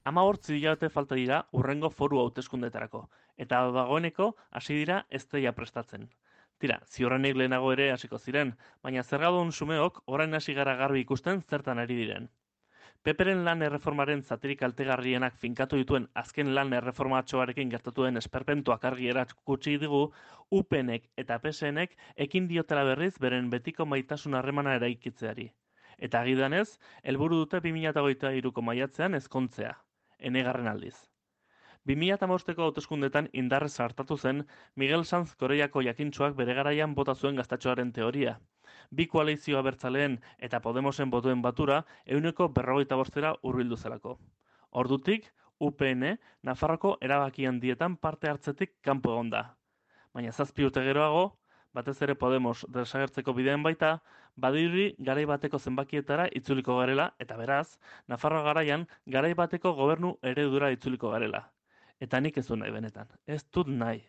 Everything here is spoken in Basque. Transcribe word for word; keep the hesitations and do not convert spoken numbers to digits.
Hamabortz hilabete falta dira hurrengo foru hauteskundeetarako, eta dagoeneko hasi dira ezteia prestatzen. Tira, ziurrenik lehenago ere hasiko ziren, baina zergadun sumeok orain hasi gara garbi ikusten zertan ari diren. Peperen lan erreformaren zatirik kaltegarrienak finkatu dituen azken lan erreformatxoarekin gertatu den esperpentuak argi erakutsi digu, U P Nek eta P S Nek ekin diotela berriz beren betiko maitasun harremana eraikitzeari. Eta agidanez, helburu dute bi mila hogeita hiruko maiatzean ezkontzea, enegarren aldiz. bi mila hamabosteko hauteskundetan indarrez hartatu zen Miguel Sanz Koreiako jakintsuak bere garaian bota zuen gaztatxoaren teoria. Bi koalizio abertzaleen eta Podemosen botuen batura ehuneko berrogeita bostera hurbildu zelako. Ordutik, U P N Nafarroko erabaki handietan parte hartzetik kanpo egon da. Baina zazpi urte geroago, batez ere Podemos desagertzeko bidean baita, badirudi garai bateko zenbakietara itzuliko garela, eta beraz, Nafarroa garaian garai bateko gobernu eredura itzuliko garela. Eta nik ez du nahi benetan. Ez dut nahi.